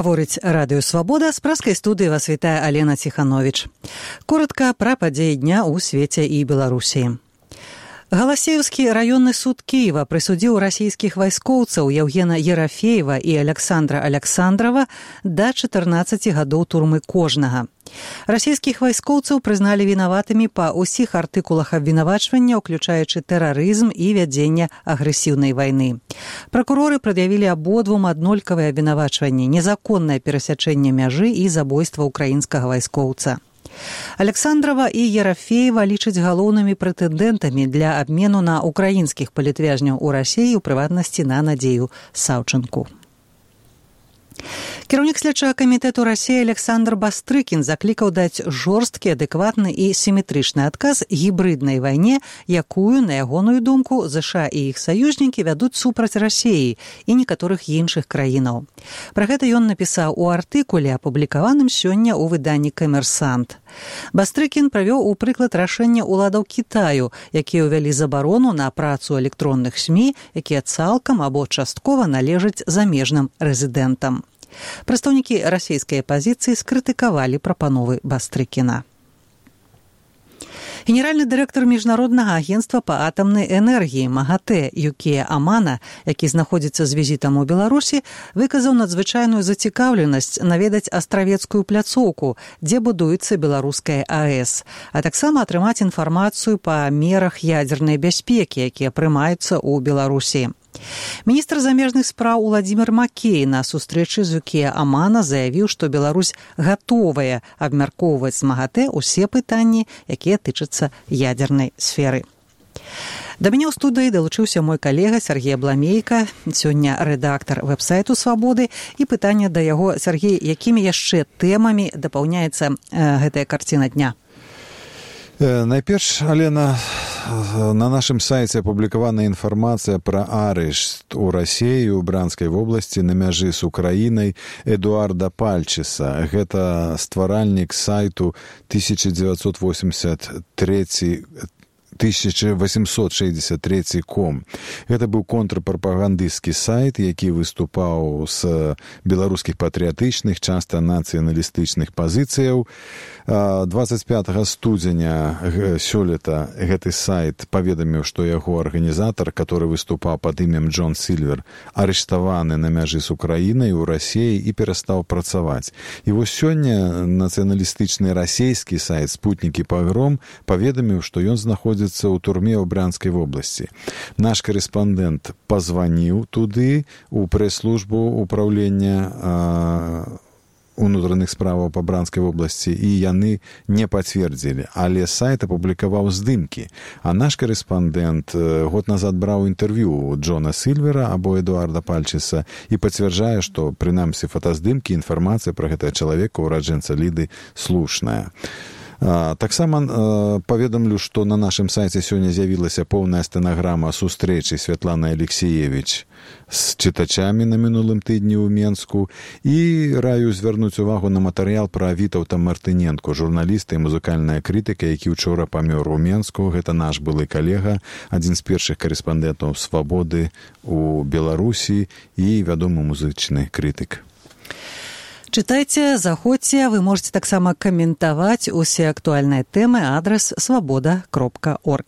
Гаворыць радыё «Свабода», з праскай студыі вас вітае Алена Ціхановіч. Коротка пра падзеі дня ў свеце і Беларусі. Галасеевскі раённы суд Киева прысудзіў расійскіх вайскоўцаў Евгена Ерафеева і Александра Александрова да 14 гадоў турмы кожнага. Расійскіх вайскоўцаў прызналі вінаватымі па ўсіх артыкулах абвінавачвання, уключаючы тэрарызм і вядзенне агрэсіўнай вайны. Пракуроры прад'явілі абодвум аднолькавыя абвінавачванні, незаконнае перасячэнне мяжы і забойства ўкраінскага вайскоўца. Александрова і Ерафеева лічаць галоўнымі прэтэндэнтамі для абмену на украінскіх палітвязняў у Расіі, у прыватнасці на Надзею Саўчынку. Кіраўнік следчага камітэту Расіі Александр Бастрыкін заклікаў даць жорсткі, адэкватны і сіметрычны адказ гібрыднай вайне, якую, на ягоную думку, ЗША і іх саюзнікі вядуць супраць Расіі і некаторых іншых краінаў. Пра гэта ён напісаў у артыкуле, апублікаваным сёння ў выданні «Камерсант». Бастрыкін правёў у прыклад рашэння ўладаў Кітаю, якія ўвялі забарону на працу электронных СМІ, якія цалкам або часткова належаць замежным рэзідэнтам. Прадстаўнікі расійскай апазіцыі скрытыкавалі прапановы Бастрыкіна. Генеральны дырэктар міжнароднага агенцтва па атамнай энергіі МАГАТЭ Юкія Амана, які знаходзіцца з візітам у Беларусі, выказаў надзвычайную зацікаўленасць наведаць астравецкую пляцоўку, дзе будуецца беларуская АЭС, а таксама атрымаць інфармацыю па мерах ядзернай бяспекі, якія прымаюцца ў Беларусі. Міністр замежных спраў Уладзімір Макей на сустрэчы з Юкія Амана заявіў, што Беларусь гатовая абмяркоўваць з МАГАТЭ усе пытанні, якія тычацца ядзернай сферы. Да мяне ў студыі далучыўся мой калега Сергей Бламейка, сёння рэдактар вэб-сайту «Свабоды», і пытанне да яго: Сергей, якімі яшчэ тэмамі дапаўняецца гэтая карціна дня? Найперш, Алена, на нашым сайце апублікавана інфармацыя пра арышт у Расіі ў Бранскай вобласці на мяжы з Украінай Эдуарда Пальчыса. Гэта стваральнік сайту 1863.com. Гэта быў контрпрапагандысцкі сайт, які выступаў з беларускіх патрыятычных, часта нацыяналістычных пазіцыяў. 25 студзеня сёлета гэты сайт паведаміў, што яго арганізатар, который выступаў пад імем Джон Сільвер, арыштаваны на мяжы з Украінай у Расіі і перастаў працаваць. І вось сёння нацыяналістычны расійскі сайт «Спутнік і пагром» паведаміў, што ён знаходзіцца ў турме ў Брянскай вобласці. Наш корэспандэнт пазваніў туды у прэс-службу ўпраўлення унутраных справаў па Бранскай вобласці, і яны не пацвердзілі, але сайт апублікаваў здымкі. А наш корэспандэнт год назад браў інтэрв'ю у Джона Сільвера або Эдуарда Пальчыса і пацвярджае, што прынамсі фотаздымкі, інфармацыя пра гэтага чалавека, ураджэнца Ліды, слушная. Таксама паведамлю, што на нашым сайце сёння з'явілася поўная стэнаграма сустрэчы Святланы Алексіевіч з чытачамі на мінулым тыдні ў Менску, і раю звярнуць увагу на матэрыял пра Вітаўта Мартыненко, журналіста і музыкальная крытыка, які учора памёр у Менску. Гэта наш былы калега, адзін з першых корэспандэнтаў «Свабоды» у Беларусі і вядомы музычны крытык. Чытайце, заходзьце, вы можете таксама каментаваць усе актуальныя тэмы, адрас свабода.орг.